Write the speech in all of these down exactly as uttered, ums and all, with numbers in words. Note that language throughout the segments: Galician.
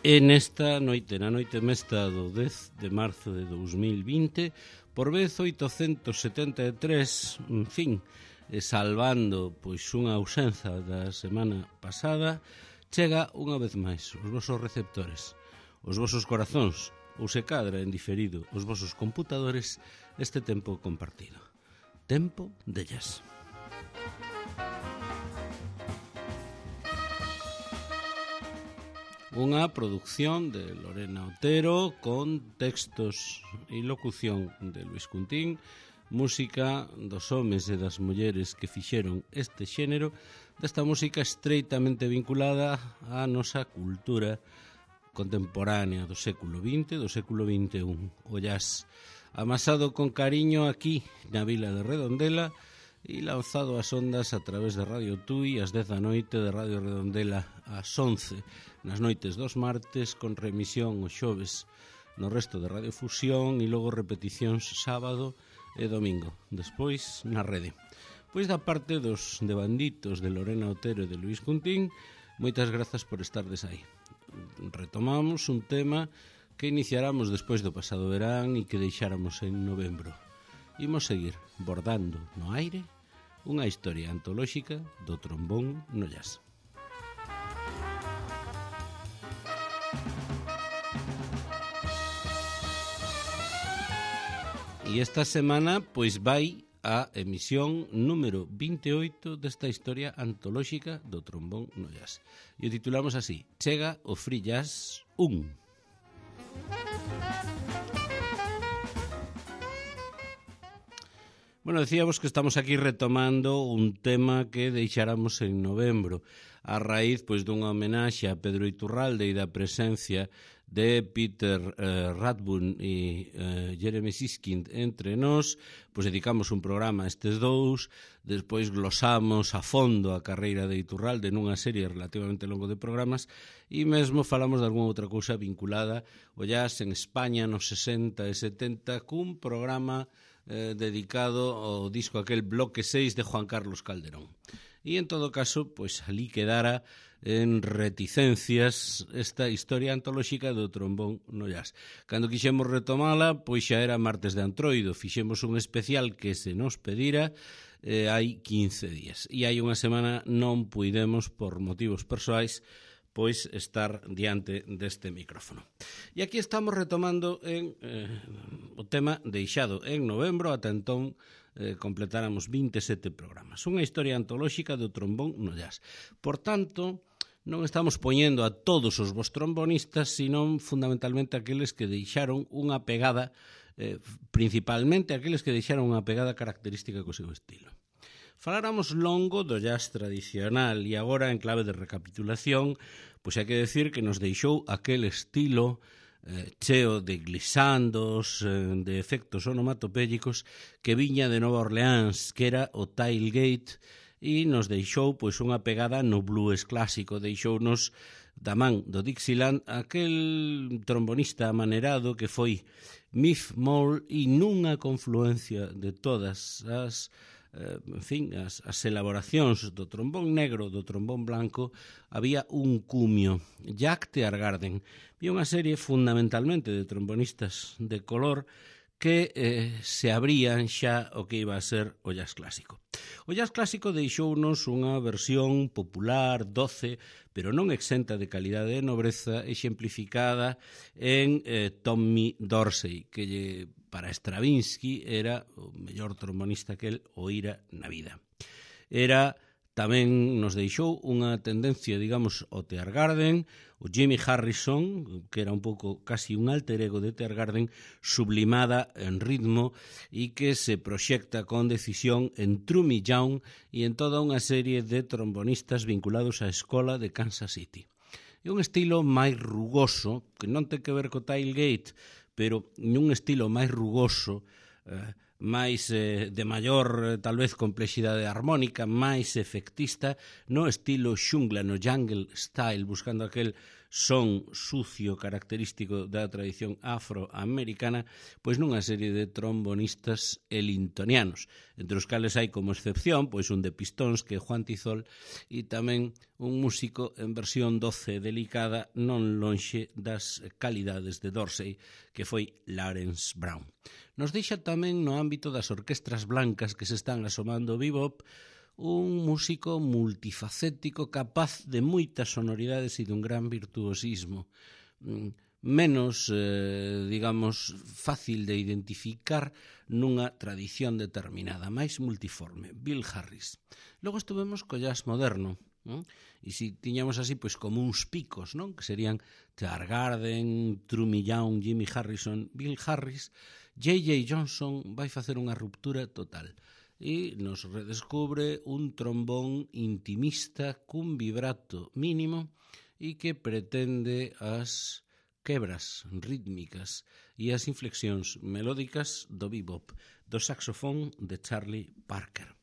E nesta noite, na noite mesta do dez de marzo de dous mil vinte, por vez oitocentos setenta e tres, en fin, salvando pois unha ausencia da semana pasada, chega unha vez máis os vosos receptores, os vosos corazóns, ou se cadra en diferido os vosos computadores, este tempo compartido. Tempo de jazz. Unha produción de Lorena Otero con textos e locución de Luis Cuntín, música dos homes e das mulleres que fixeron este xénero, desta música estreitamente vinculada á nosa cultura contemporánea do século vinte, do século vinte e un. O jazz amasado con cariño aquí na vila de Redondela e lanzado ás ondas a través de Radio Tui ás dez da noite, de Radio Redondela ás once nas noites dos martes, con remisión os xoves no resto de Radio Fusión e logo repeticións sábado e domingo, despois na rede. Pois da parte dos devanditos de Lorena Otero e de Luis Cuntín, moitas grazas por estardes aí. Retomamos un tema que iniciáramos despois do pasado verán e que deixáramos en novembro. Imos seguir bordando no aire unha historia antolóxica do trombón no jazz. E esta semana pois vai a emisión número vinte e oito desta historia antolóxica do trombón no jazz. E o titulamos así: Chega o Free Jazz un. Bueno, decíamos que estamos aquí retomando un tema que deixáramos en novembro, a raíz pois dunha homenaxe a Pedro Iturralde e da presencia de Peter eh, Radburn e eh, Jeremy Siskind entre nós, pois dedicamos un programa a estes dous, despois glosamos a fondo a carreira de Iturralde nunha serie relativamente longo de programas e mesmo falamos de algunha outra cousa vinculada ao jazz en España nos sesenta e setenta cun programa Eh, dedicado ao disco aquel Bloque seis de Juan Carlos Calderón. E en todo caso, pois ali quedara en reticencias esta historia antolóxica do trombón no jazz. Cando quixemos retomala, pois xa era martes de Antroido, fixemos un especial que se nos pedira eh, hai quince días. E hai unha semana non puidemos, por motivos persoais, pois estar diante deste micrófono. E aquí estamos retomando en, eh, o tema deixado en novembro, ata entón eh, completáramos vinte e sete programas. Unha historia antolóxica do trombón no jazz. Por tanto, non estamos poñendo a todos os vos trombonistas, senón fundamentalmente aqueles que deixaron unha pegada, eh, principalmente aqueles que deixaron unha pegada característica co seu estilo. Faláramos longo do jazz tradicional e agora, en clave de recapitulación, pois hai que decir que nos deixou aquel estilo eh, cheo de glissandos, eh, de efectos onomatopélicos que viña de Nova Orleans, que era o tailgate, e nos deixou pois unha pegada no blues clásico, deixounos da man do Dixieland aquel trombonista amanerado que foi Miff Moll e nunha confluencia de todas as en fin, as, as elaboracións do trombón negro, do trombón blanco, había un cumio, Jack Teargarden, e unha serie fundamentalmente de trombonistas de color que eh, se abrían xa o que iba a ser o jazz clásico. O jazz clásico deixounos unha versión popular, doce, pero non exenta de calidade e nobreza, exemplificada en eh, Tommy Dorsey, que lle para Stravinsky era o mellor trombonista que el oíra na vida. Era tamén nos deixou unha tendencia, digamos, ao Teargarden, o Jimmy Harrison, que era un pouco casi un alter ego de Teargarden, sublimada en ritmo e que se proxecta con decisión en Trummy Young e en toda unha serie de trombonistas vinculados á escola de Kansas City. É un estilo máis rugoso, que non ten que ver co tailgate, pero nun estilo máis rugoso, eh, máis eh, de maior, eh, tal vez, complexidade armónica, máis efectista, no estilo xungla, no jungle style, buscando aquel son sucio característico da tradición afroamericana, pois nunha serie de trombonistas elintonianos, entre os cales hai como excepción pois un de Pistóns que é Juan Tizol e tamén un músico en versión doce e delicada non lonxe das calidades de Dorsey, que foi Lawrence Brown. Nos deixa tamén no ámbito das orquestras blancas que se están asomando ao bebop un músico multifacético capaz de moitas sonoridades e dun gran virtuosismo, menos, eh, digamos, fácil de identificar nunha tradición determinada, máis multiforme, Bill Harris. Logo estuvemos co jazz moderno, non? E se tiñamos así, pois como uns picos, non? Que serían Charles Garden, True Young, Jimmy Harrison, Bill Harris. J J Johnson vai facer unha ruptura total e nos redescubre un trombón intimista cun vibrato mínimo e que pretende as quebras rítmicas e as inflexións melódicas do bebop, do saxofón de Charlie Parker.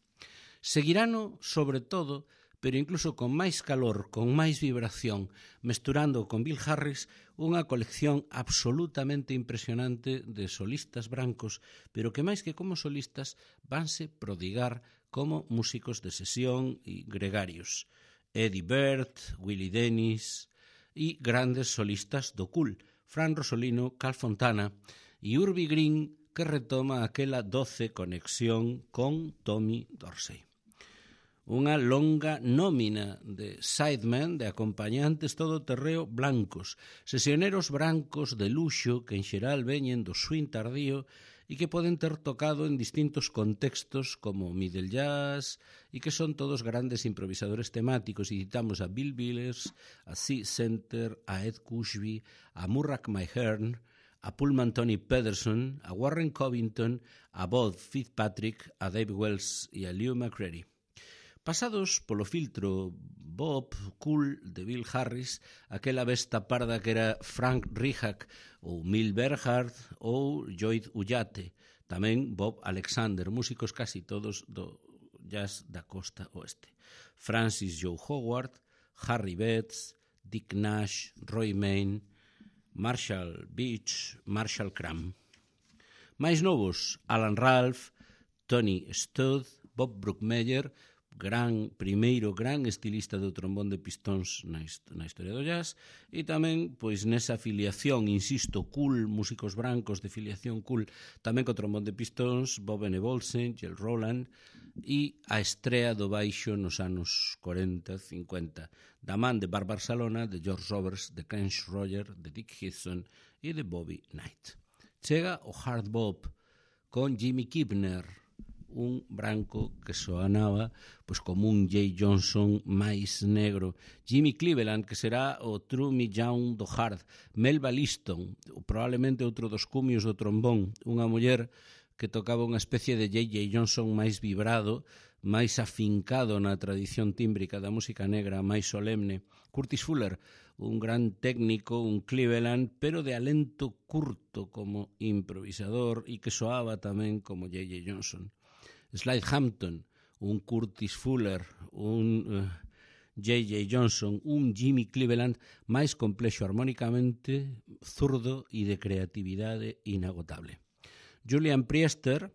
Seguirano, sobre todo, pero incluso con máis calor, con máis vibración, mesturando con Bill Harris unha colección absolutamente impresionante de solistas brancos, pero que máis que como solistas vanse prodigar como músicos de sesión e gregarios. Eddie Bird, Willie Dennis e grandes solistas do cool, Fran Rosolino, Carl Fontana e Urbie Green, que retoma aquela doce conexión con Tommy Dorsey. Unha longa nómina de sidemen, de acompañantes todoterreo blancos, sesioneros brancos de luxo que en xeral veñen do swing tardío e que poden ter tocado en distintos contextos como middle jazz e que son todos grandes improvisadores temáticos, e citamos a Bill Withers, a C. Center, a Ed Cushby, a Murray Mahern, a Pullman Tony Pederson, a Warren Covington, a Bob Fitzpatrick, a Dave Wells e a Lew McCready. Pasados polo filtro Bob Cool de Bill Harris, aquela besta parda que era Frank Rihak ou Mil Berhard ou Lloyd Ullate, tamén Bob Alexander, músicos casi todos do jazz da costa oeste. Francis Joe Howard, Harry Betts, Dick Nash, Roy Main, Marshall Beach, Marshall Cram. Mais novos, Alan Ralph, Tony Studd, Bob Brookmeyer, gran, primeiro gran estilista do trombón de pistóns na, na historia do jazz, e tamén, pois, nesa filiación, insisto, cool, músicos brancos de filiación cool, tamén co trombón de pistóns, Bob Enevolsen, Jel Roland, e a estrea do baixo nos anos corenta, cincuenta, da man de Bart Barcelona, de George Roberts, de Ken Schroeder, de Dick Hudson e de Bobby Knight. Chega o hard bop con Jimmy Kibner, un branco que soanaba pois como un Jay Johnson máis negro, Jimmy Cleveland, que será o True Young do hard, Melba Liston, probablemente outro dos cumios do trombón, unha muller que tocaba unha especie de J J Johnson máis vibrado, máis afincado na tradición tímbrica da música negra, máis solemne. Curtis Fuller, un gran técnico, un Cleveland, pero de alento curto como improvisador e que soaba tamén como J J Johnson. Slide Hampton, un Curtis Fuller, un uh, J J Johnson, un Jimmy Cleveland máis complexo armónicamente, zurdo e de creatividade inagotable. Julian Priester,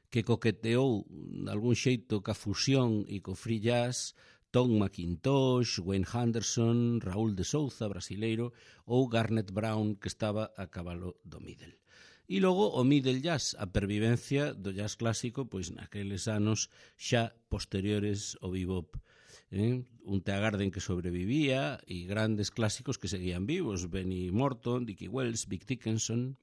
que coqueteou de algún xeito ca fusión e co free jazz, Tom McIntosh, Wayne Henderson, Raúl de Souza, brasileiro, ou Garnet Brown, que estaba a cabalo do middle. E logo o middle jazz, a pervivencia do jazz clásico, pois naqueles anos xa posteriores ao bebop. Eh? Un Thea Garden que sobrevivía e grandes clásicos que seguían vivos, Benny Morton, Dickie Wells, Vic Dickinson.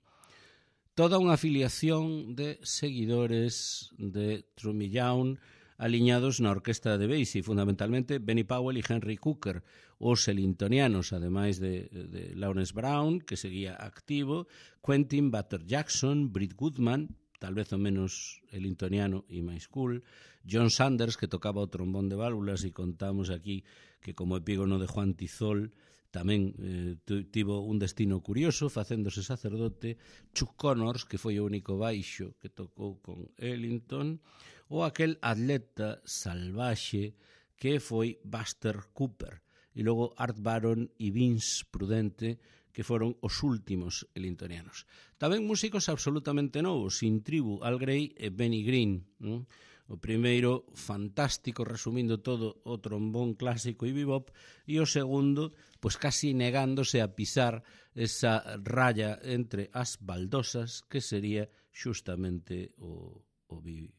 Toda unha afiliación de seguidores de True Young aliñados na orquesta de Basie, fundamentalmente Benny Powell e Henry Cooker, os elintonianos, ademais de, de Lawrence Brown, que seguía activo, Quentin Butter Jackson, Britt Goodman, tal vez o menos elintoniano e máis cool, John Sanders, que tocaba o trombón de válvulas, e contamos aquí que como epígono de Juan Tizol tamén eh, tivo un destino curioso, facéndose sacerdote, Chuck Connors, que foi o único baixo que tocou con Ellington, ou aquel atleta salvaxe que foi Buster Cooper, e logo Art Baron e Vince Prudente, que foron os últimos elintonianos. Tamén músicos absolutamente novos, Sin Tribu, Al Grey e Benny Green. ¿no? O primeiro, fantástico, resumindo todo, o trombón clásico e bebop, e o segundo, pois casi negándose a pisar esa raya entre as baldosas, que sería xustamente o, o bebop.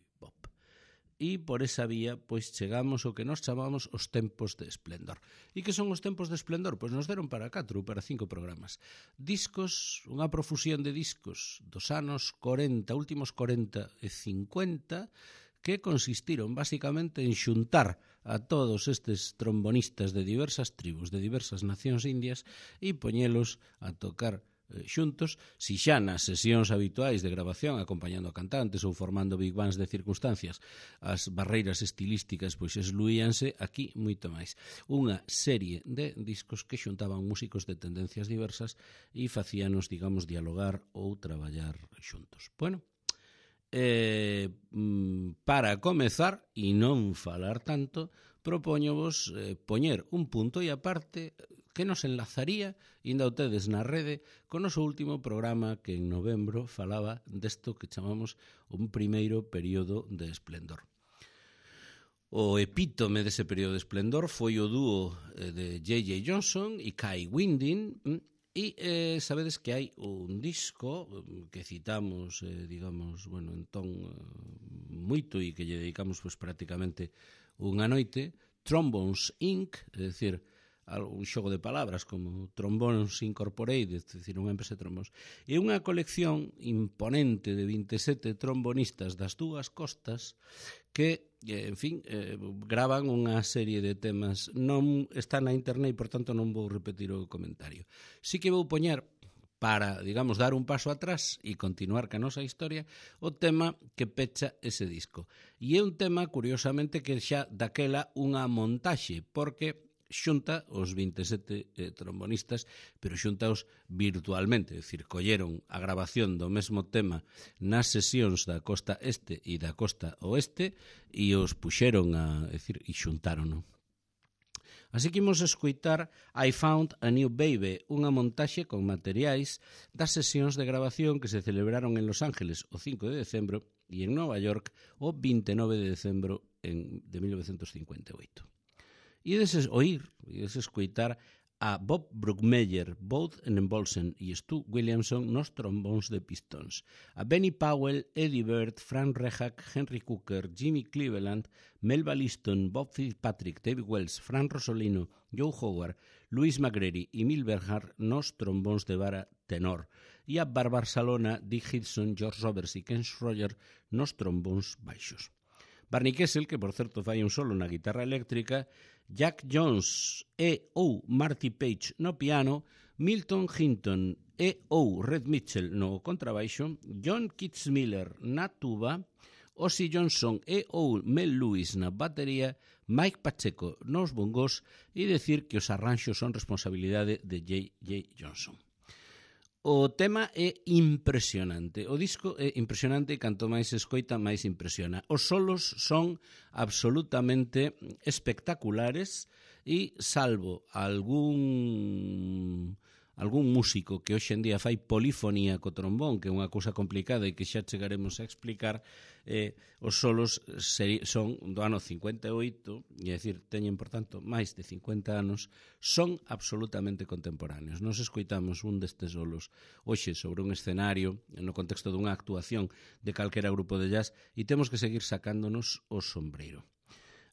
E por esa vía, pois chegamos ao que nos chamamos os tempos de esplendor. E que son os tempos de esplendor? Pois nos deron para catro ou para cinco programas. Discos, unha profusión de discos dos anos corenta, últimos corenta e cincuenta, que consistiron basicamente en xuntar a todos estes trombonistas de diversas tribus, de diversas nacións indias, e poñelos a tocar xuntos, si xa nas sesións habituais de grabación acompañando a cantantes ou formando big bands de circunstancias as barreiras estilísticas pois esluíanse, aquí moito máis. Unha serie de discos que xuntaban músicos de tendencias diversas e facíanos, digamos, dialogar ou traballar xuntos. Bueno, eh, para comezar e non falar tanto, propóñovos eh, poñer un punto e aparte que nos enlazaría, inda o tedes na rede, con o noso último programa que en novembro falaba desto que chamamos un primeiro período de esplendor. O epítome dese período de esplendor foi o dúo de J J Johnson e Kai Winding, e eh, sabedes que hai un disco que citamos, eh, digamos, bueno, entón moito e que lle dedicamos pues, prácticamente unha noite, Trombones incorporated, é dicir, un xogo de palabras como Trombones Incorporated, é dicir, unha empresa de trombóns, e unha colección imponente de vinte e sete trombonistas das dúas costas que, en fin, eh, gravan unha serie de temas. Non está na internet e, por tanto, non vou repetir o comentario. Si que vou poñer, para, digamos, dar un paso atrás e continuar ca nosa historia, o tema que pecha ese disco. E é un tema, curiosamente, que xa daquela unha montaxe, porque xunta os vinte e sete eh, trombonistas, pero xuntaos virtualmente, é dicir, colleron a grabación do mesmo tema nas sesións da costa este e da costa oeste e os puxeron a, é dicir, e xuntaron. Así que imos escoitar I Found a New Baby, unha montaxe con materiais das sesións de grabación que se celebraron en Los Ángeles o cinco de decembro e en Nova York o vinte e nove de decembro en, de mil novecentos cincuenta e oito. E deses oír, e deses escoitar a Bob Brookmeyer, Bowden and Bolsen e Stu Williamson nos trombóns de pistons, a Benny Powell, Eddie Bird, Frank Rehak, Henry Cooker, Jimmy Cleveland, Melba Liston, Bob Fitzpatrick, David Wells, Frank Rosolino, Joe Howard, Louis McGrady e Mil Bernhardt nos trombóns de vara tenor, e a Barbara Salona, Dick Hudson, George Roberts e Ken Schroyer nos trombóns baixos. Barney Kessel, que por certo fai un solo na guitarra eléctrica, Jack Jones e ou Marty Page no piano, Milton Hinton e ou Red Mitchell no contrabaixo, John Kitzmiller na tuba, Ozzy Johnson e ou Mel Lewis na batería, Mike Pacheco nos bongos e decir que os arranxos son responsabilidade de J J Johnson. O tema é impresionante, o disco é impresionante e canto máis escoita, máis impresiona. Os solos son absolutamente espectaculares e salvo algún algún músico que hoxe en día fai polifonía co trombón, que é unha cousa complicada e que xa chegaremos a explicar, eh, os solos son do ano cincuenta e oito, e é dicir, teñen, por tanto, máis de cincuenta anos, son absolutamente contemporáneos. Nos escoitamos un destes solos hoxe sobre un escenario, no contexto dunha actuación de calquera grupo de jazz, e temos que seguir sacándonos o sombreiro.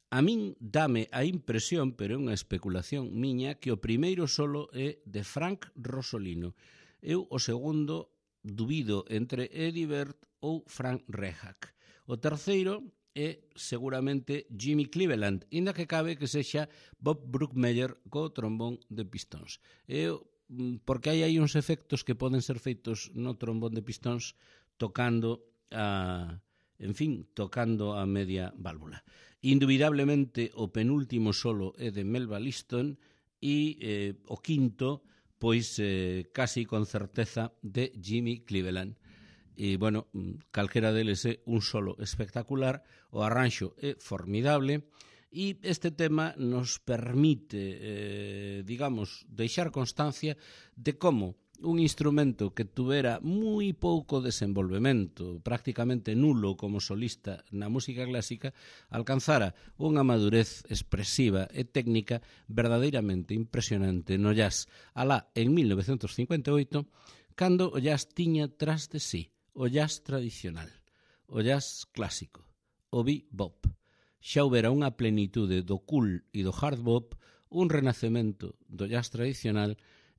A min dame a impresión, pero é unha especulación miña, que o primeiro solo é de Frank Rosolino. Eu o segundo dubido entre Eddie Bird ou Frank Rehak. O terceiro é seguramente Jimmy Cleveland, inda que cabe que sexa Bob Brookmeyer co trombón de pistóns. Eu, porque hai aí uns efectos que poden ser feitos no trombón de pistóns tocando a... en fin, tocando a media válvula. Indubidablemente, o penúltimo solo é de Melba Liston e eh, o quinto, pois, eh, casi con certeza, de Jimmy Cleveland. E, bueno, calquera deles é un solo espectacular, o arranxo é formidable, E este tema nos permite, eh, digamos, deixar constancia de como un instrumento que tuvera moi pouco desenvolvemento, prácticamente nulo como solista na música clásica, alcanzara unha madurez expresiva e técnica verdadeiramente impresionante no jazz, alá en mil novecentos cincuenta e oito, cando o jazz tiña tras de sí o jazz tradicional, o jazz clásico, o bebop. Xa houbera unha plenitude do cool e do hard bop, un renacemento do jazz tradicional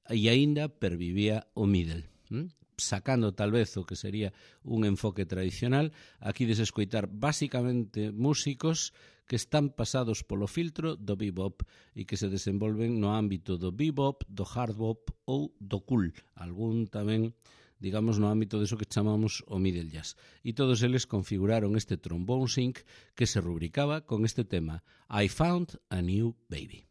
e aínda pervivía o middle. ¿Mm? Sacando tal vez o que sería un enfoque tradicional, aquí des escoitar basicamente músicos que están pasados polo filtro do bebop e que se desenvolven no ámbito do bebop, do hard bop ou do cool, algún tamén, digamos, no ámbito deso que chamamos o middle jazz. E todos eles configuraron este trombone sync que se rubricaba con este tema, I Found a New Baby.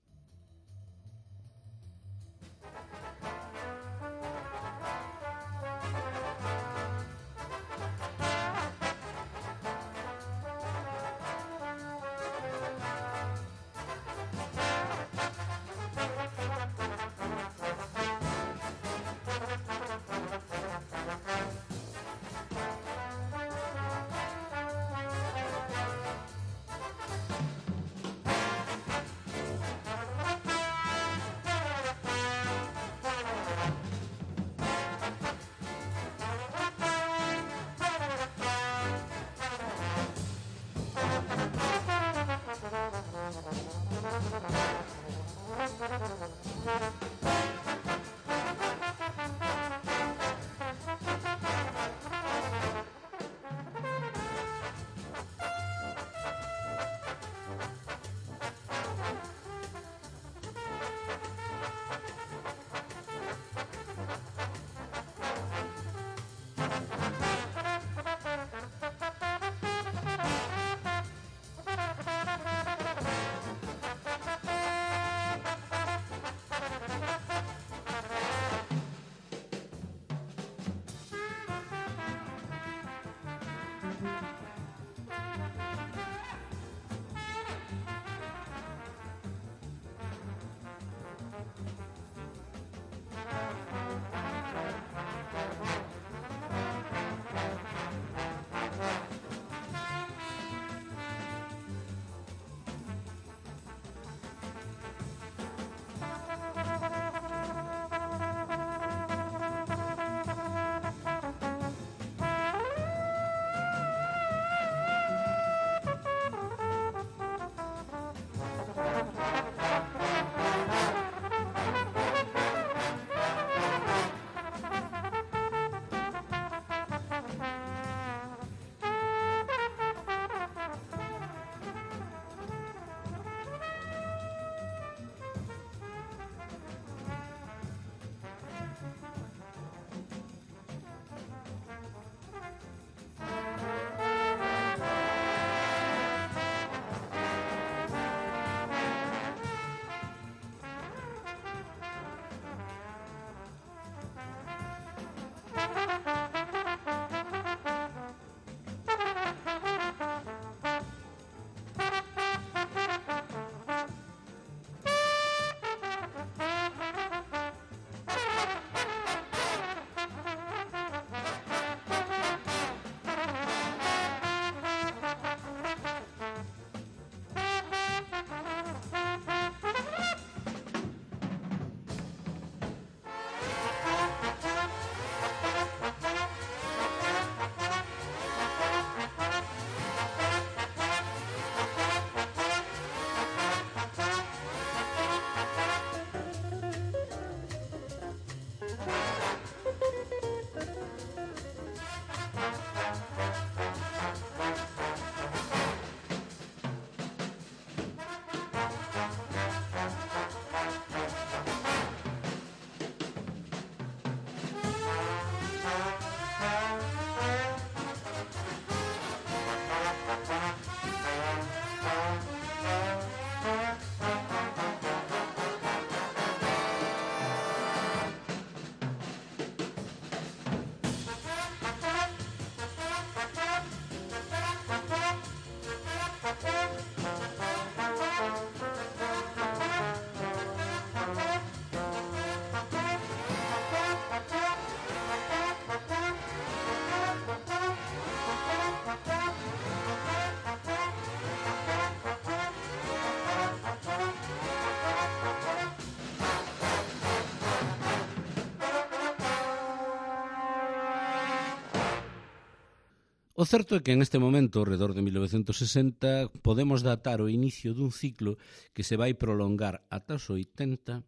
O certo é que en este momento, alrededor de mil novecentos sesenta, podemos datar o inicio dun ciclo que se vai prolongar ata os oitenta,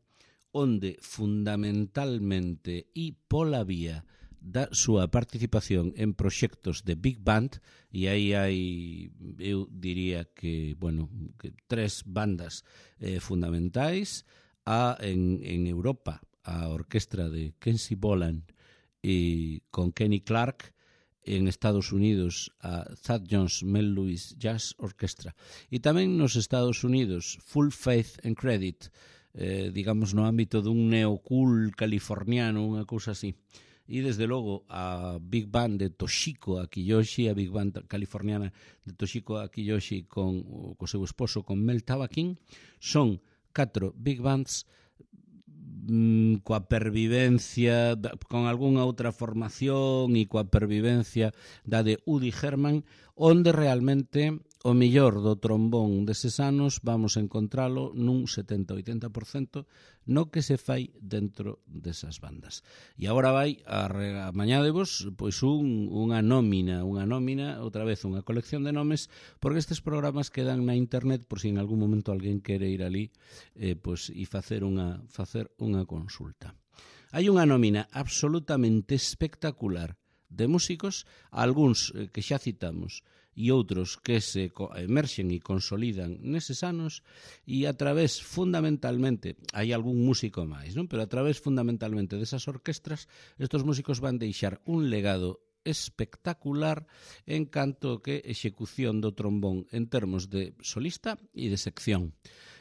onde fundamentalmente e pola vía da súa participación en proxectos de Big Band, e aí hai, eu diría que, bueno, que tres bandas eh, fundamentais, a, en, en Europa, a orquestra de Kenzie Boland e con Kenny Clark, en Estados Unidos a Thad Jones Mel Lewis Jazz Orchestra, e tamén nos Estados Unidos Full Faith and Credit, eh, digamos no ámbito dun neocool californiano, unha cousa así. E desde logo a Big Band de Toshiko Akiyoshi, a Big Band californiana de Toshiko Akiyoshi con o seu esposo, con Mel Tabakin, son catro Big Bands mm, coa pervivencia, con algunha outra formación e coa pervivencia da de Udi Herman, onde realmente o mellor do trombón deses anos vamos a encontralo nun setenta a oitenta por cento no que se fai dentro desas bandas. E agora vai a, a mañádevos pois un, unha nómina, unha nómina, outra vez unha colección de nomes, porque estes programas quedan na internet por si en algún momento alguén quere ir ali eh, pois, e facer unha, facer unha consulta. Hai unha nómina absolutamente espectacular de músicos, algúns eh, que xa citamos, e outros que se emerxen e consolidan neses anos, e a través fundamentalmente, hai algún músico máis, non? Pero a través fundamentalmente desas orquestras, estos músicos van deixar un legado espectacular en canto que execución do trombón en termos de solista e de sección.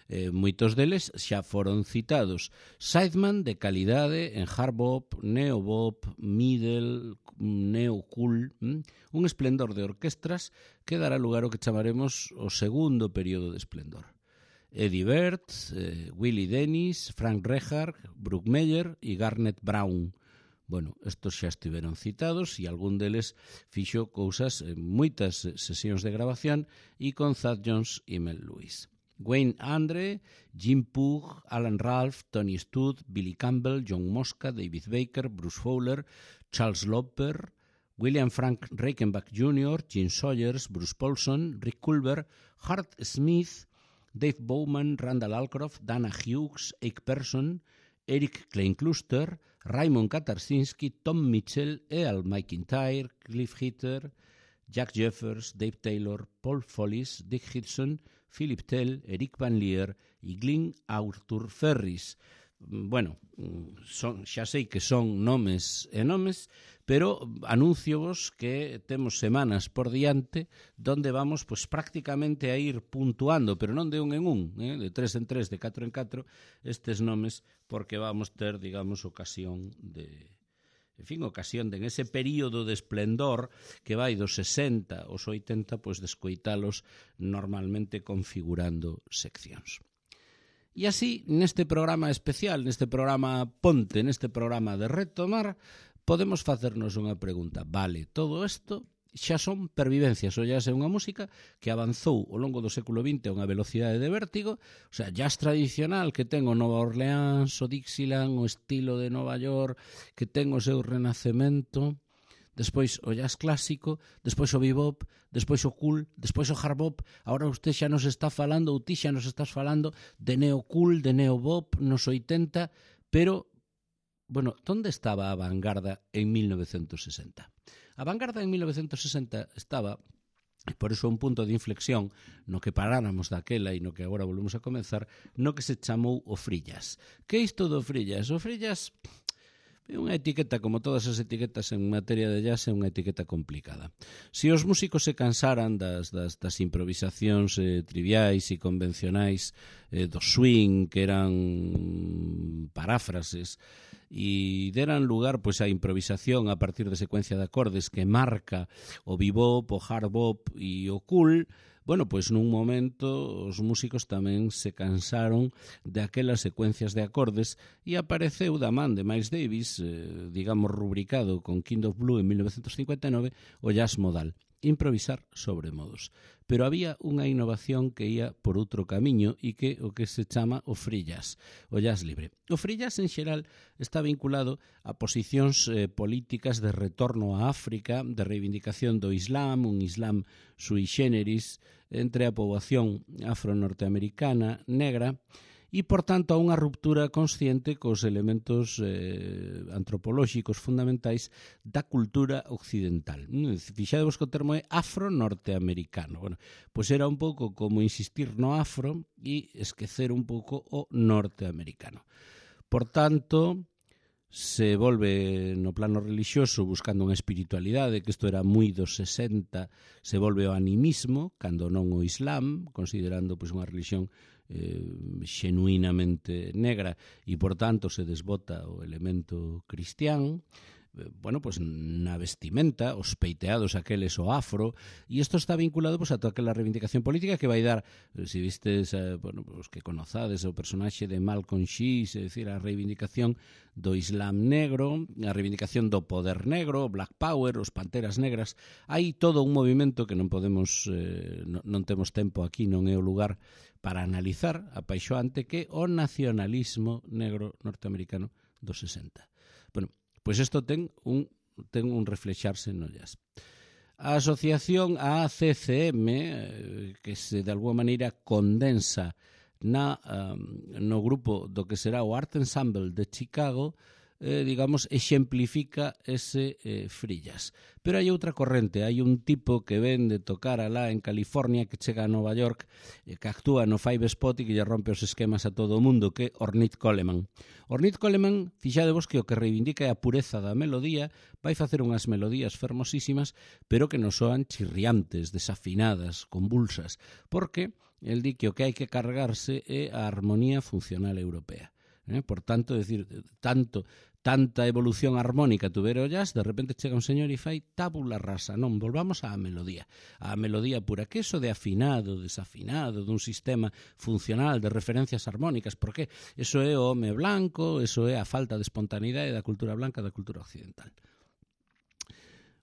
Eh, moitos deles xa foron citados. Sideman de calidade en hard bop, neo bop, middle, neo cool, hm? Un esplendor de orquestras que dará lugar ao que chamaremos o segundo período de esplendor. Eddie Bird, eh, Willie Dennis, Frank Rehard, Brook Meyer e Garnet Brown. Bueno, estos xa estiveron citados e algún deles fixo cousas en moitas sesións de grabación e con Thad Jones e Mel Lewis. Wayne Andre, Jim Pugh, Alan Ralph, Tony Studd, Billy Campbell, John Mosca, David Baker, Bruce Fowler, Charles Loper, William Frank Reichenbach junior, Gene Sawyers, Bruce Paulson, Rick Culver, Hart Smith, Dave Bowman, Randall Alcroft, Dana Hughes, Ike Person, Eric Kleinkluster, Raymond Katarsinski, Tom Mitchell e Al McIntyre, Cliff Hitter, Jack Jeffers, Dave Taylor, Paul Follis, Dick Hudson, Philip Tell, Eric Van Leer e Glyn Arthur Ferris. Bueno, son, xa sei que son nomes e nomes, pero anúnciovos que temos semanas por diante donde vamos pues, prácticamente a ir puntuando, pero non de un en un, eh, de tres en tres, de catro en catro, estes nomes, porque vamos ter, digamos, ocasión de... En fin, ocasión de en ese período de esplendor que vai dos sesenta aos oitenta, pois descoitalos normalmente configurando seccións. E así, neste programa especial, neste programa ponte, neste programa de retomar, podemos facernos unha pregunta. Vale, todo isto xa son pervivencias, ou xa é unha música que avanzou ao longo do século vinte a unha velocidade de vértigo, o sea, jazz tradicional que ten o Nova Orleans, o Dixieland, o estilo de Nova York, que ten o seu renacemento, despois o jazz clásico, despois o bebop, despois o cool, despois o hard bop. Agora usted xa nos está falando, ou ti xa nos estás falando de neo cool, de neo bop nos oitenta, pero, bueno, onde estaba a vanguarda en mil novecentos sesenta? A vanguarda en mil novecentos sesenta estaba, por iso un punto de inflexión no que paráramos daquela e no que agora volvemos a comenzar, no que se chamou o free jazz. Que é isto do free jazz? O free jazz é unha etiqueta, como todas as etiquetas en materia de jazz, é unha etiqueta complicada. Se os músicos se cansaran das, das, das improvisacións eh, triviais e convencionais eh, do swing, que eran paráfrases, e deran lugar pois a improvisación a partir de secuencia de acordes que marca o bebop, o hard bop e o cool, bueno, pois nun momento os músicos tamén se cansaron de aquelas secuencias de acordes e apareceu da man de Miles Davis, eh, digamos rubricado con King of Blue en mil novecentos cincuenta e nove, o jazz modal, improvisar sobre modos. pero había unha innovación que ia por outro camiño e que o que se chama o free jazz, o jazz libre. O free jazz en xeral está vinculado a posicións eh, políticas de retorno a África, de reivindicación do Islam, un Islam sui generis entre a poboación afro-norteamericana negra, e, por tanto, a unha ruptura consciente cos elementos eh, antropolóxicos fundamentais da cultura occidental. Fixadevos que o termo é afro-norteamericano. Bueno, pois era un pouco como insistir no afro e esquecer un pouco o norteamericano. Por tanto, se volve no plano religioso buscando unha espiritualidade, que isto era moi dos sesenta, se volve o animismo, cando non o Islam, considerando pois, unha religión eh, xenuinamente negra e, por tanto, se desbota o elemento cristián. Bueno, pues na vestimenta, os peiteados aqueles o afro, e isto está vinculado pues, a toda aquela reivindicación política que vai dar, se vistes, eh, bueno, os que conozades o personaxe de Malcolm X, é dicir, a reivindicación do Islam negro, a reivindicación do poder negro, Black Power, os Panteras Negras. Hai todo un movimento que non podemos, eh, non, non temos tempo aquí, non é o lugar para analizar apaixoante, que o nacionalismo negro norteamericano dos sesenta. Bueno, pois isto ten un, ten un reflexarse no jazz. A asociación a A C C M, que se de alguma maneira condensa na, um, no grupo do que será o Art Ensemble de Chicago, eh, digamos, exemplifica ese eh, free jazz. Pero hai outra corrente, hai un tipo que ven de tocar alá en California, que chega a Nova York, eh, que actúa no Five Spot e que lle rompe os esquemas a todo o mundo, que é Ornette Coleman. Ornette Coleman, fixadevos que o que reivindica é a pureza da melodía, vai facer unhas melodías fermosísimas, pero que non soan chirriantes, desafinadas, convulsas, porque el di que o que hai que cargarse é a armonía funcional europea. Eh? Por tanto, decir, tanto tanta evolución armónica tuvera o jazz, de repente chega un señor e fai tabula rasa. Non, volvamos á melodía, á melodía pura, que eso de afinado, desafinado, dun sistema funcional de referencias armónicas, porque eso é o home blanco, eso é a falta de espontaneidade da cultura blanca, da cultura occidental.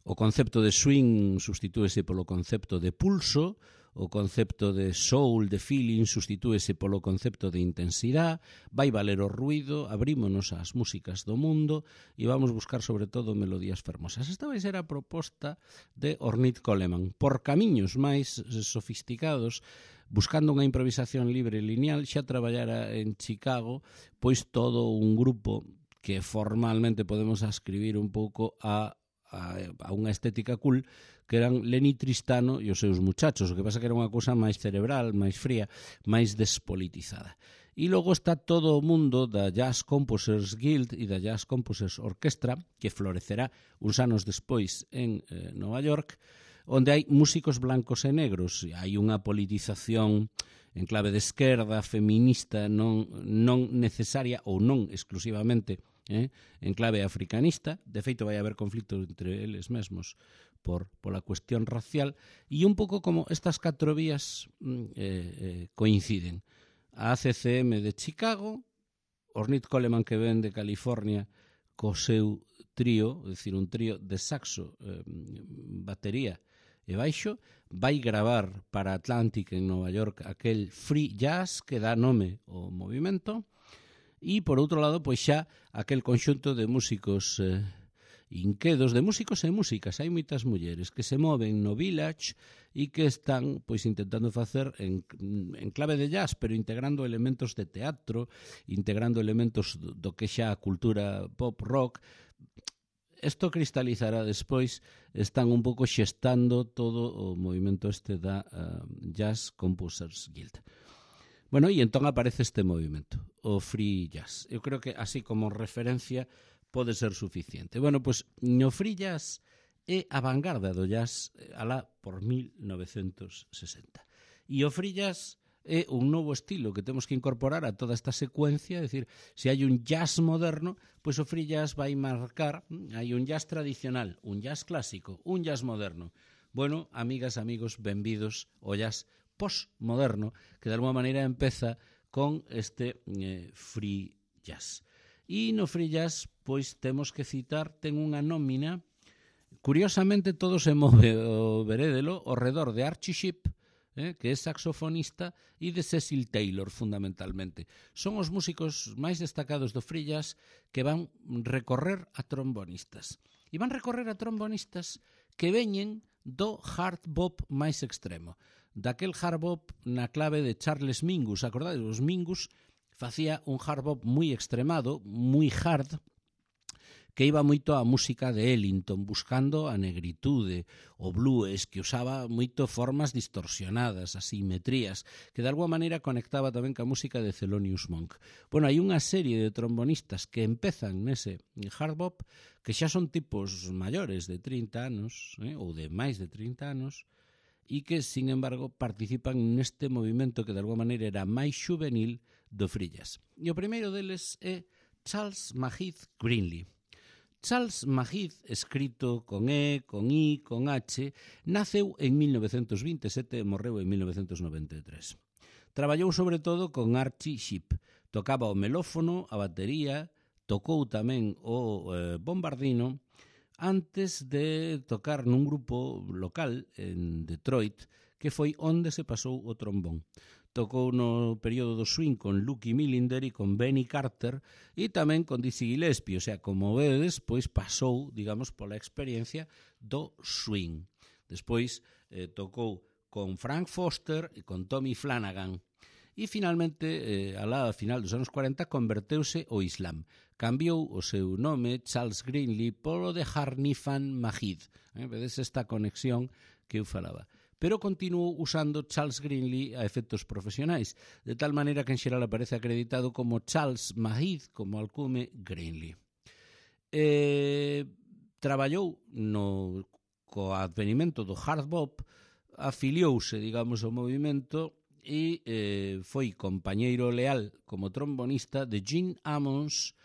O concepto de swing sustitúese polo concepto de pulso, o concepto de soul, de feeling, sustitúese polo concepto de intensidade, vai valer o ruido, abrímonos ás músicas do mundo e vamos buscar sobre todo melodías fermosas. Esta vai ser a proposta de Ornette Coleman. Por camiños máis sofisticados, buscando unha improvisación libre e lineal, xa traballara en Chicago pois todo un grupo que formalmente podemos ascribir un pouco a A, a unha estética cool, que eran Lenny Tristano e os seus muchachos, o que pasa que era unha cousa máis cerebral, máis fría, máis despolitizada. E logo está todo o mundo da Jazz Composers Guild e da Jazz Composers Orchestra, que florecerá uns anos despois en eh, Nova York, onde hai músicos blancos e negros. Hai unha politización en clave de esquerda, feminista, non, non necesaria ou non exclusivamente Eh, en clave africanista. De feito, vai haber conflito entre eles mesmos por pola cuestión racial, e un pouco como estas catro vías eh, eh, coinciden. A A C C M de Chicago, Ornette Coleman que ven de California co seu trío, é dicir, un trío de saxo, eh, batería e baixo, vai gravar para Atlantic en Nova York aquel free jazz que dá nome ao movimento. E, por outro lado, pois xa aquel conxunto de músicos eh, inquedos, de músicos e músicas. Hai moitas mulleres que se moven no Village e que están pois intentando facer en, en clave de jazz, pero integrando elementos de teatro, integrando elementos do, do que xa a cultura pop rock. Isto cristalizará despois, están un pouco xestando todo o movimento este da uh, Jazz Composers Guild. Bueno, e entón aparece este movimento, o free jazz. Eu creo que así como referencia pode ser suficiente. Bueno, pois no free jazz é a vanguarda do jazz alá por mil novecentos sesenta. E o free jazz é un novo estilo que temos que incorporar a toda esta secuencia, é dicir, se hai un jazz moderno, pois o free jazz vai marcar, hai un jazz tradicional, un jazz clásico, un jazz moderno. Bueno, amigas, amigos, benvidos ao jazz postmoderno, que de alguma maneira empeza con este eh, free jazz. E no free jazz, pois, temos que citar, ten unha nómina, curiosamente todo se move o verédelo, ao redor de Archie Shepp, eh, que é saxofonista, e de Cecil Taylor, fundamentalmente. Son os músicos máis destacados do free jazz que van recorrer a trombonistas. E van recorrer a trombonistas que veñen do hard bop máis extremo. Daquel hard bop na clave de Charles Mingus. Acordades? Os Mingus facía un hard bop moi extremado, moi hard, que iba moito á música de Ellington, buscando a negritude, o blues, que usaba moito formas distorsionadas, asimetrías, que de alguma maneira conectaba tamén ca música de Thelonious Monk. Bueno, hai unha serie de trombonistas que empezan nese hard bop, que xa son tipos maiores de trinta anos, eh, ou de máis de trinta anos, e que, sin embargo, participan neste movimento que de alguma maneira era máis juvenil do free jazz. E o primeiro deles é Charles Mahith Greenlee. Charles Mahith, escrito con E, con I, con H, naceu en mil novecentos vinte e sete e morreu en mil novecentos noventa e tres. Traballou sobre todo con Archie Shepp. Tocaba o melófono, a batería, tocou tamén o eh, bombardino, antes de tocar nun grupo local en Detroit, que foi onde se pasou o trombón. Tocou no período do swing con Lucky Millinder e con Benny Carter e tamén con Dizzy Gillespie, o sea, como vedes, pois pasou, digamos, pola experiencia do swing. Despois eh, tocou con Frank Foster e con Tommy Flanagan. E finalmente, eh, alá a final dos anos cuarenta, converteuse ao Islam. Cambiou o seu nome, Charles Greenlee, polo de Harnifan Mahid. Eh, vedes esta conexión que eu falaba. Pero continuou usando Charles Greenlee a efectos profesionais, de tal maneira que en xeral aparece acreditado como Charles Mahid, como alcume Greenlee. Eh, traballou no, co advenimento do hard bop, afiliouse, digamos, ao movimento e eh, foi compañeiro leal como trombonista de Gene Ammons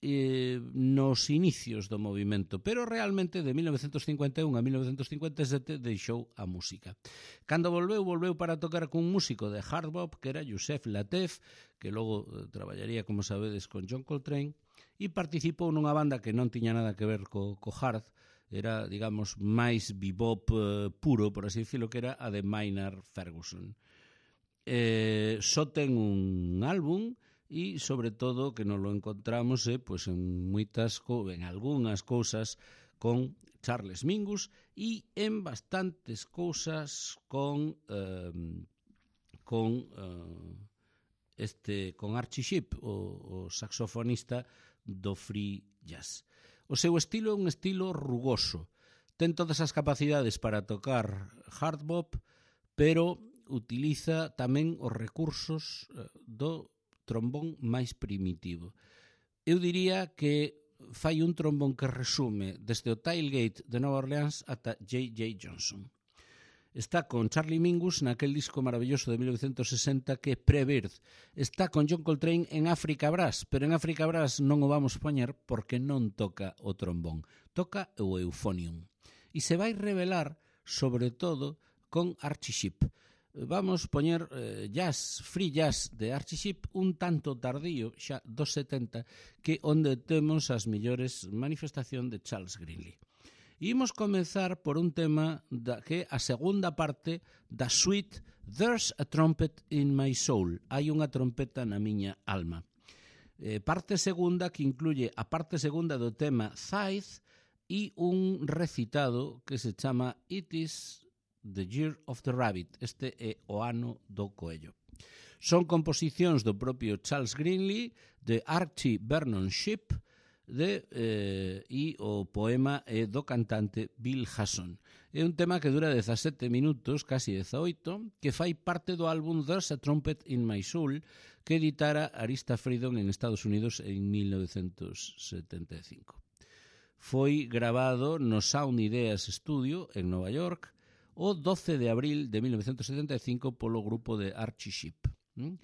eh, nos inicios do movimento, pero realmente de mil novecentos cincuenta e un a mil novecentos cincuenta e sete deixou a música. Cando volveu, volveu para tocar cun músico de hard bop que era Yusef Lateef, que logo eh, traballaría, como sabedes, con John Coltrane, e participou nunha banda que non tiña nada que ver co, co hard, era, digamos, máis bebop eh, puro, por así decirlo, que era a de Maynard Ferguson. Eh, só ten un álbum e, sobre todo, que nos lo encontramos eh, pues en moitas, en algunhas cousas con Charles Mingus e en bastantes cousas con eh, con eh, este con Archie Shepp, o, o saxofonista do free jazz. O seu estilo é un estilo rugoso. Ten todas as capacidades para tocar hard bop, pero utiliza tamén os recursos eh, do trombón máis primitivo. Eu diría que fai un trombón que resume desde o Tailgate de Nova Orleans ata J J Johnson. Está con Charlie Mingus naquel disco maravilloso de mil novecentos sesenta que é Pre-Birth. Está con John Coltrane en Africa Brass, pero en Africa Brass non o vamos poñer porque non toca o trombón, toca o euphonium. E se vai revelar, sobre todo, con Archie Shepp. Vamos poñer eh, jazz, free jazz de Archie Shepp un tanto tardío, xa dos setenta, que onde temos as mellores manifestación de Charles Greenlee. E imos comenzar por un tema da, que é a segunda parte da suite There's a Trumpet in My Soul. Hai unha trompeta na miña alma. Eh, parte segunda que incluye a parte segunda do tema Scythe e un recitado que se chama It is The Year of the Rabbit. Este é o ano do coello. Son composicións do propio Charles Greenlee, de Archie Vernon Shepp, de, eh, e o poema é do cantante Bill Hasson. É un tema que dura dezasete minutos, casi dezaoito, que fai parte do álbum There's a Trumpet in My Soul, que editara Arista Freedom en Estados Unidos en mil novecentos setenta e cinco. Foi grabado no Sound Ideas Studio en Nova York o doce de abril de mil novecentos setenta e cinco polo grupo de Archie Shepp. ¿Mm?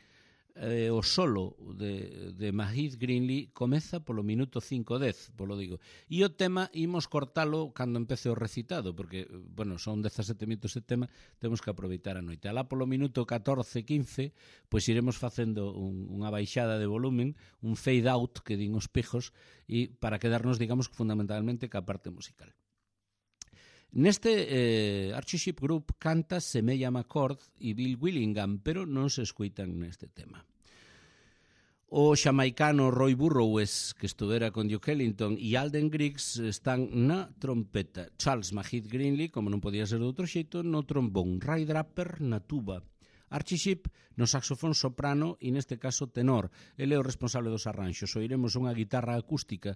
Eh, o solo de, de Mahith Greenlee comeza polo minuto cinco dez, polo digo. E o tema imos cortalo cando empece o recitado, porque, bueno, son dezasete minutos de tema, temos que aproveitar a noite. Alá polo minuto catorce quince, pois iremos facendo un, unha baixada de volumen, un fade out, que din os pijos, e para quedarnos, digamos, fundamentalmente ca parte musical. Neste eh, Archie Shepp Group canta Semella McCord e Bill Willingham, pero non se escoitan neste tema. O xamaicano Roy Burrows, que estuvera con Duke Ellington, e Alden Griggs están na trompeta. Charles Mahit Greenlee, como non podía ser de outro xeito, no trombón. Ray Draper na tuba. Archie Shepp no saxofón soprano e neste caso tenor. Ele é o responsable dos arranxos. Oiremos unha guitarra acústica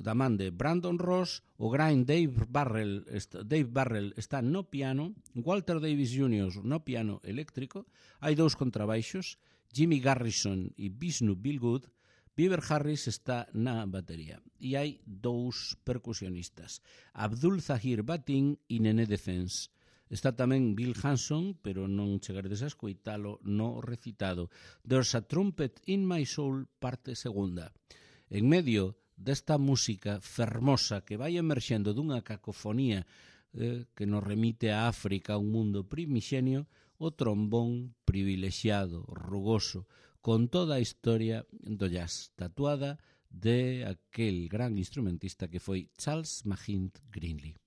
da man de Brandon Ross, o gran Dave Barrell, Dave Barrell está no piano, Walter Davis júnior no piano eléctrico, hai dous contrabaixos, Jimmy Garrison e Vishnu Billgood, Beaver Harris está na batería. E hai dous percusionistas, Abdul Zahir Batin e Nene Defense. Está tamén Bill Hanson, pero non chegaredes a escoitalo no recitado. There's a Trumpet in My Soul, parte segunda. En medio desta música fermosa que vai emerxendo dunha cacofonía eh, que nos remite a África, a un mundo primixenio, o trombón privilexiado, rugoso, con toda a historia do jazz, tatuada de aquel gran instrumentista que foi Charles Mahit Greenlee.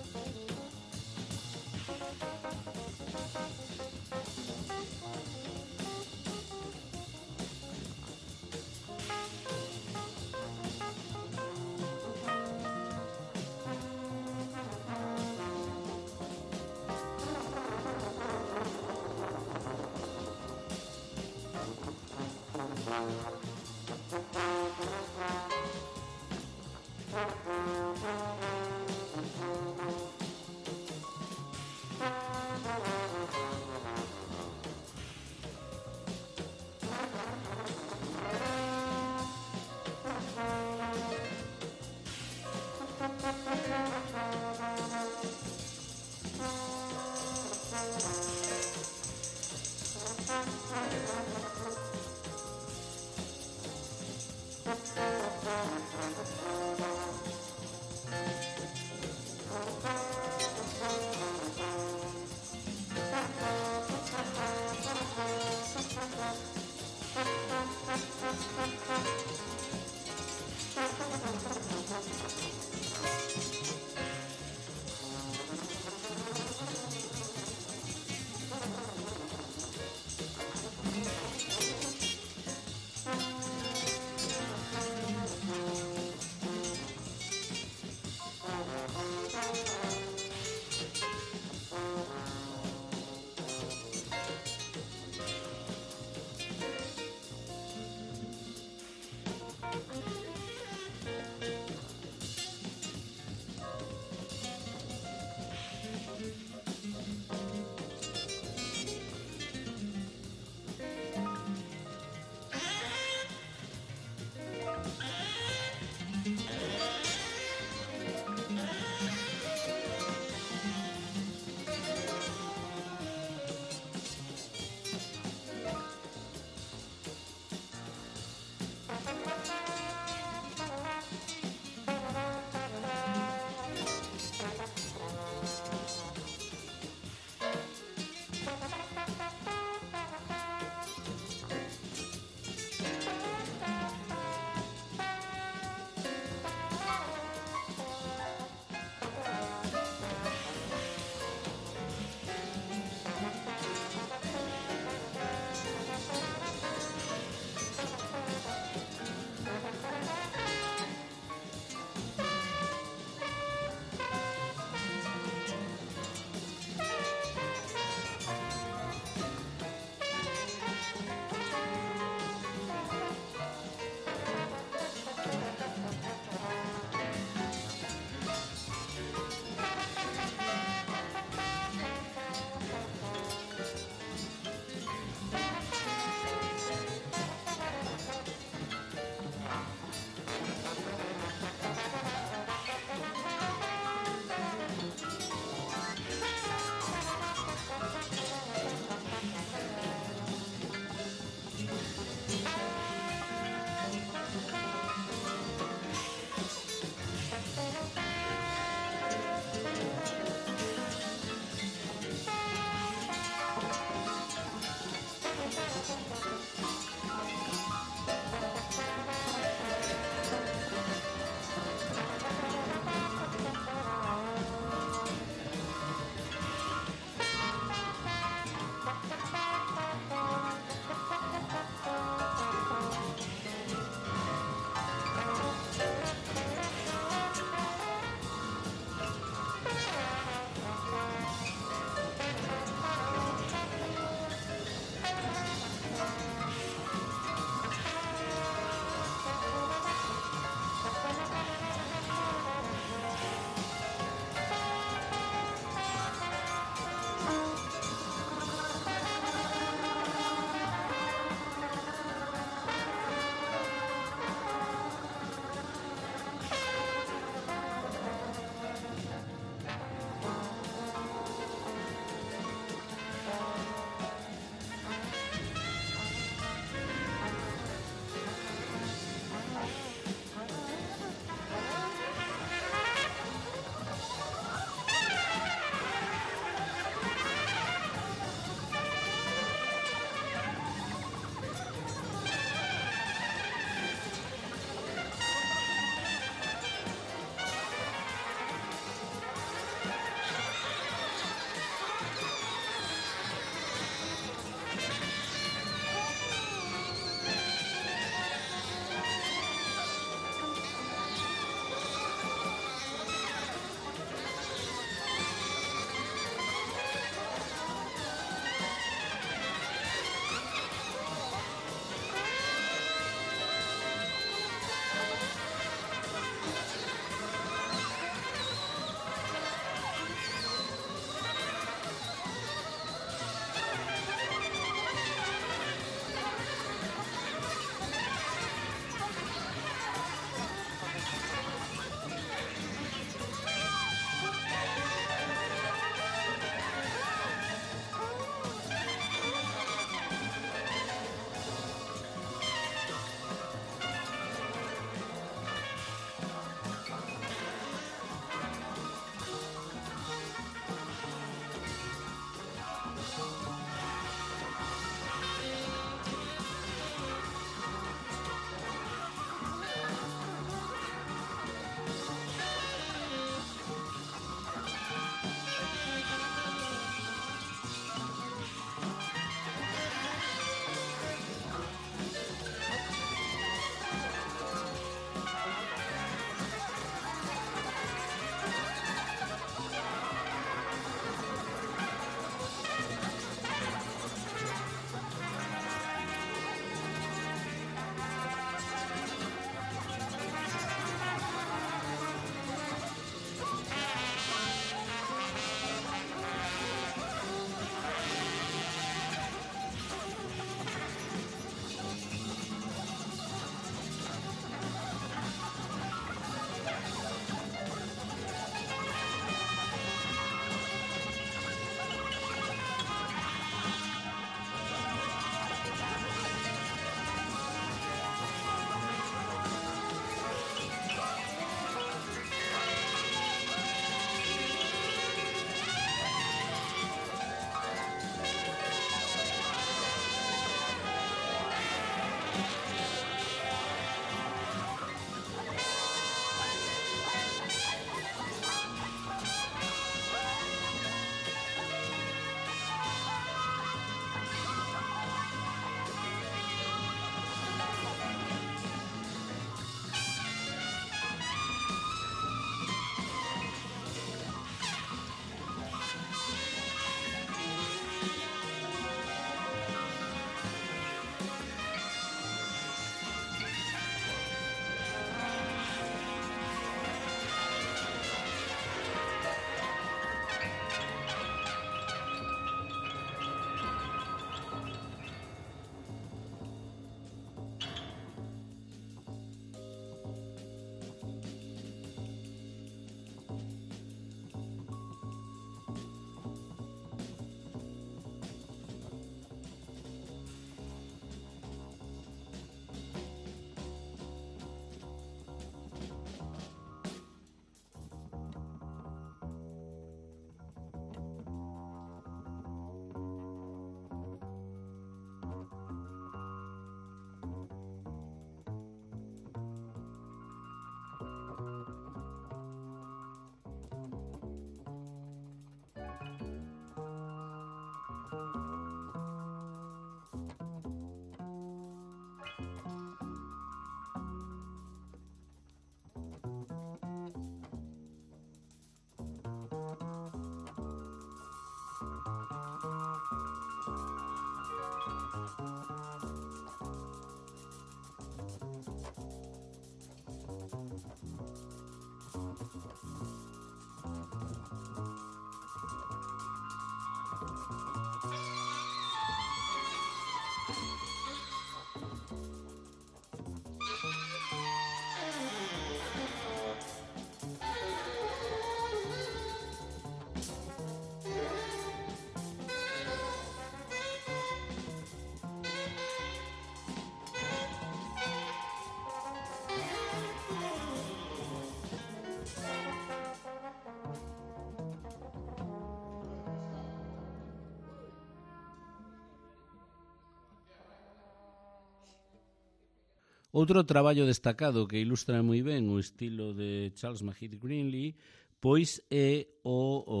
Outro traballo destacado que ilustra moi ben o estilo de Charles Mahid Greenlee pois é o, o,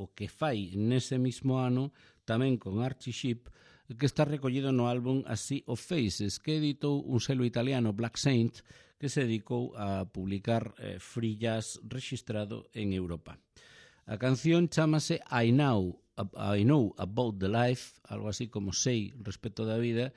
o que fai nese mismo ano tamén con Archie Shepp, que está recollido no álbum A Sea of Faces, que editou un selo italiano, Black Saint, que se dedicou a publicar eh, free jazz registrado en Europa. A canción chámase I Know, I Know About the Life, algo así como sei respecto da vida,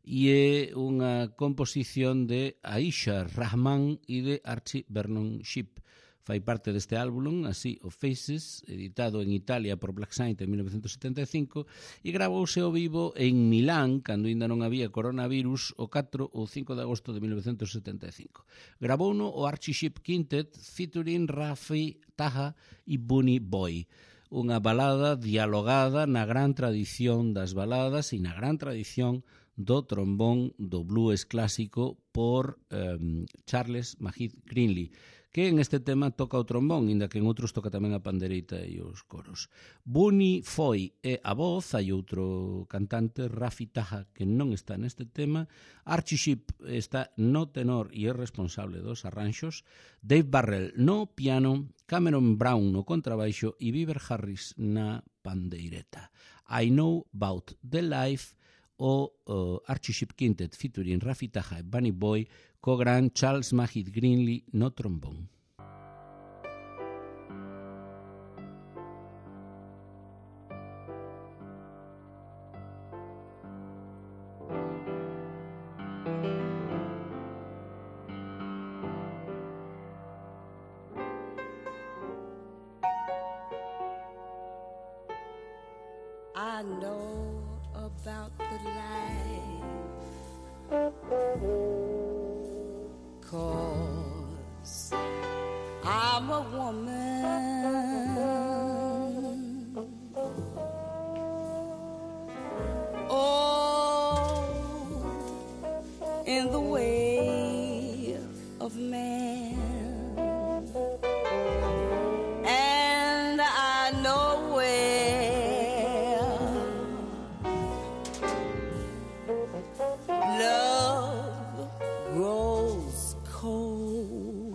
e é unha composición de Aisha Rahman e de Archie Vernon Shepp. Fai parte deste álbum, A Sea of Faces, editado en Italia por Black Saint en mil novecientos setenta e cinco, e gravouse ao vivo en Milán, cando ainda non había coronavirus, o catro ou cinco de agosto de mil novecientos setenta e cinco. Gravouno o Archie Shepp Quintet, featuring Rafi Taha e Bunny Boy. Unha balada dialogada na gran tradición das baladas e na gran tradición do trombón do blues clásico por um, Charles Mahid Greenlee, que en este tema toca o trombón, inda que en outros toca tamén a pandereita e os coros. Bunny foi é a voz, hai outro cantante, Rafi Taha, que non está neste tema, Archie Shepp está no tenor e é responsable dos arranxos, Dave Barrell no piano, Cameron Brown no contrabaixo e Beaver Harris na pandeireta. I Know About the Life, o uh, Archie Shepp Quintet featuring Rafi Taha e Bunny Boy, co gran Charles Mahid Greenlee no trombón. I know about the life, 'cause I'm a woman. Oh, in the way of man, and I know where love grows cold,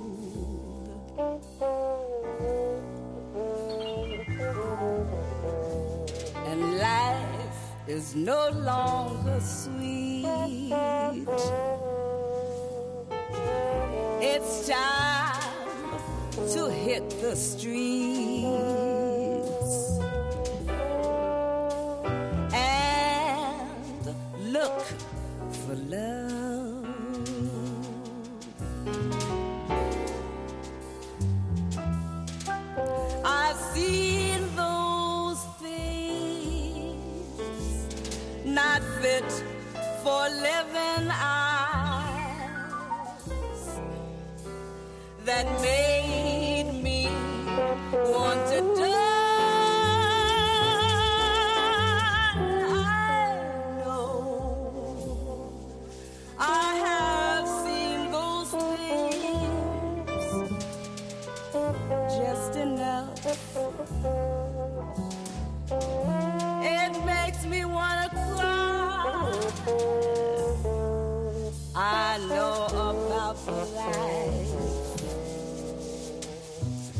and life is no longer sweet. It's time to hit the streets and look for love. I've seen those things not fit for living eyes that made me want to die. I know I have seen those things just enough. It makes me want to cry. I know about the life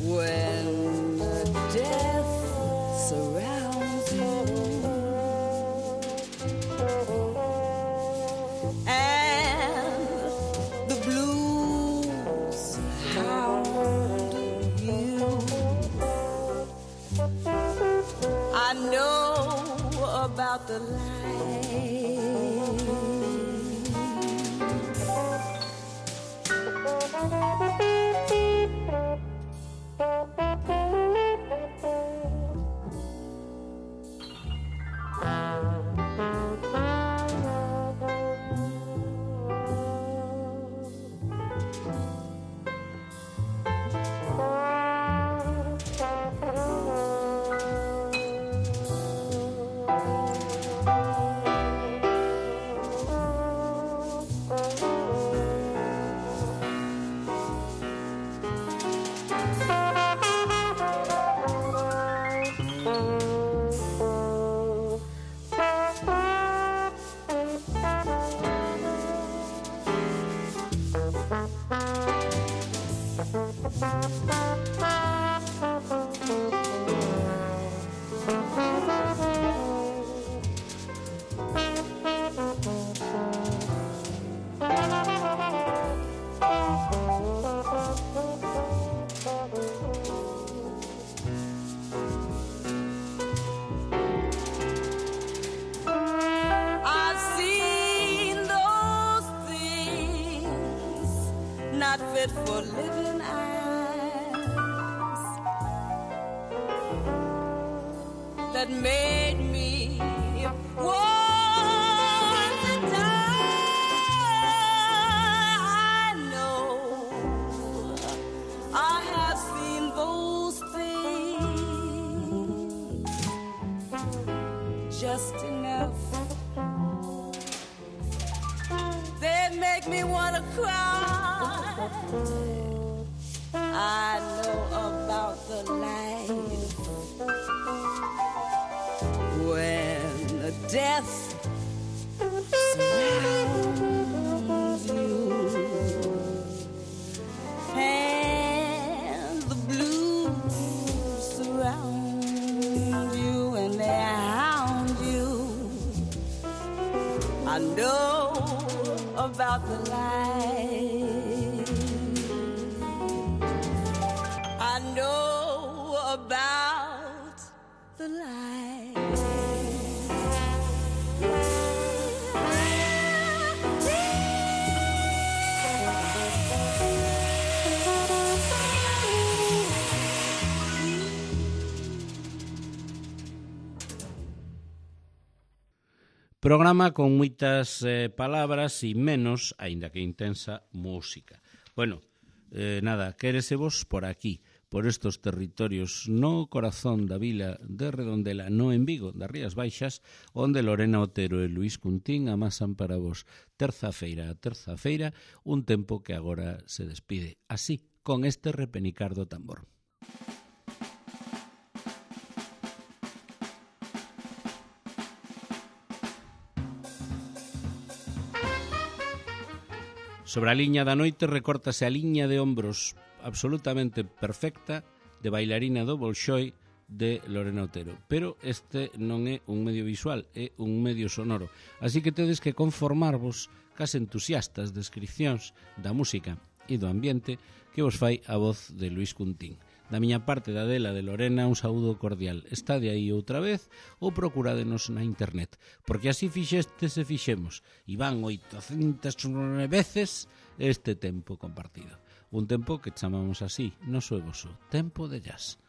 when death surrounds you and the blues hound you. I know about the life. For living eyes that made me want to die. I know I have seen those things just enough. They make me want to cry. I know about the life when the death surrounds you and the blues surround you and they hound you. I know about the life. I know about the light. Programa con moitas eh, palabras e menos, aínda que intensa, música. Bueno, eh, nada, quéresevos por aquí, por estos territorios no corazón da vila de Redondela, no en Vigo, das Rías Baixas, onde Lorena Otero e Luís Cuntín amasan para vos terza feira a terza feira, un tempo que agora se despide así, con este repenicar do tambor. Sobre a liña da noite recórtase a liña de ombros absolutamente perfecta de bailarina do Bolshoi de Lorena Otero. Pero este non é un medio visual, é un medio sonoro. Así que tedes que conformarvos cas entusiastas descripcións da música e do ambiente que vos fai a voz de Luís Cuntín. Da miña parte, da dela de Lorena, un saúdo cordial. Está de aí outra vez ou procurádenos na internet, porque así fixestes e fixemos, e van oitocentas veces este tempo compartido. Un tempo que chamamos así, noso e voso, tempo de jazz.